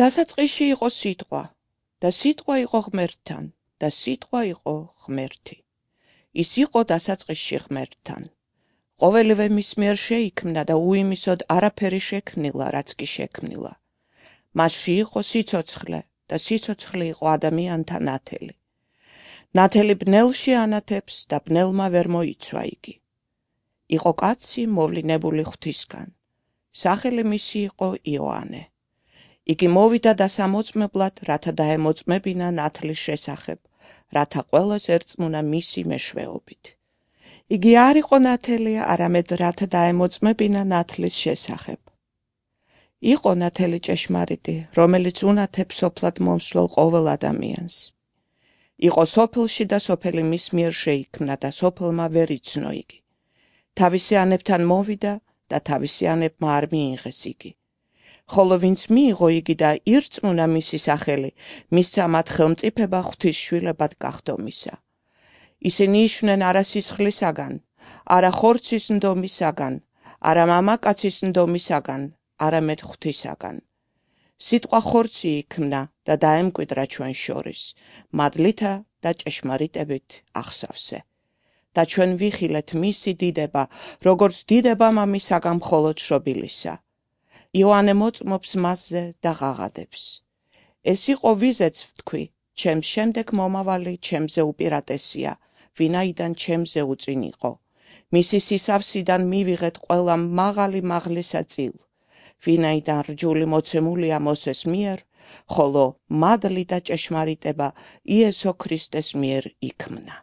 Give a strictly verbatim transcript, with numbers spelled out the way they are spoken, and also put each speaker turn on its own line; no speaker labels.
დასაწყისში იყო სიტყვა და სიტყვა იყო ღმერთთან და სიტყვა იყო ღმერთი. ის იყო დასაწყისში ღმერთთან. ყოველივე მის მიერ შეიქმნა და უიმისოდ არაფერი შექმნილა, რაც კი შექმნილა. მასში იყო სიცოცხლე და სიცოცხლე იყო ადამიანთა ნათელი. ნათელი ბნელში ანათებს და ბნელმა ვერ მოიცვა იგი. იყო კაცი მოვლინებული ღვთისგან. სახელი მისი იყო იოანე. იგი მოვიდა დასამოწმებლად, რათა დაემოწმებინა ნათლის შესახებ, რათა ყველას ერწმუნა მისი მეშვეობით. იგი არ იყო ნათელი, არამედ რათა დაემოწმებინა ნათლის შესახებ. იყო ნათელი ჭეშმარიტი, რომელიც უნათებს სოფლად მომსვლელ ყოველ ადამიანს. იყო სოფელში და სოფელი მის მიერ შეიქმნა და სოფელმა ვერ იცნო იგი. თავისი ანებთან მოვიდა და თავისი ანებმა არ მიიღეს იგი. ხოლო ვინც მიიღო იგი და ირწმუნა მისი სახელი, მისცა მათ ხელმწიფება ღვთისშვილებად გახდომისა. ისინი იშვნენ არა სისხლისაგან, არა ხორცის ნდომისაგან, არა მამაკაცის ნდომისაგან, არამედ ღვთისაგან. სიტყვა ხორცი იქმნა და დაემკვიდრა ჩვენ შორის, მადლითა და ჭეშმარიტებით აღსავსე. და ჩვენ ვიხილეთ მისი დიდება, როგორც დიდება მამისაგან მხოლოდ შობილისა. იოანე მოწმობს მასზე და ღაღადებს. ეს იყო ვიზეც ვთქვი, ჩემს შემდეგ მომავალი ჩემზე უპირატესია, ვინაიდან ჩემზე უწინ იყო. მისი სისავსიდან მივიღეთ ყველა მაღალი მაღლისა წილ, ვინაიდან რჯული მოცემულია მოსეს მიერ, ხოლო მადლი და ჭეშმარიტება იესო ქრისტეს მიერ იქმნა.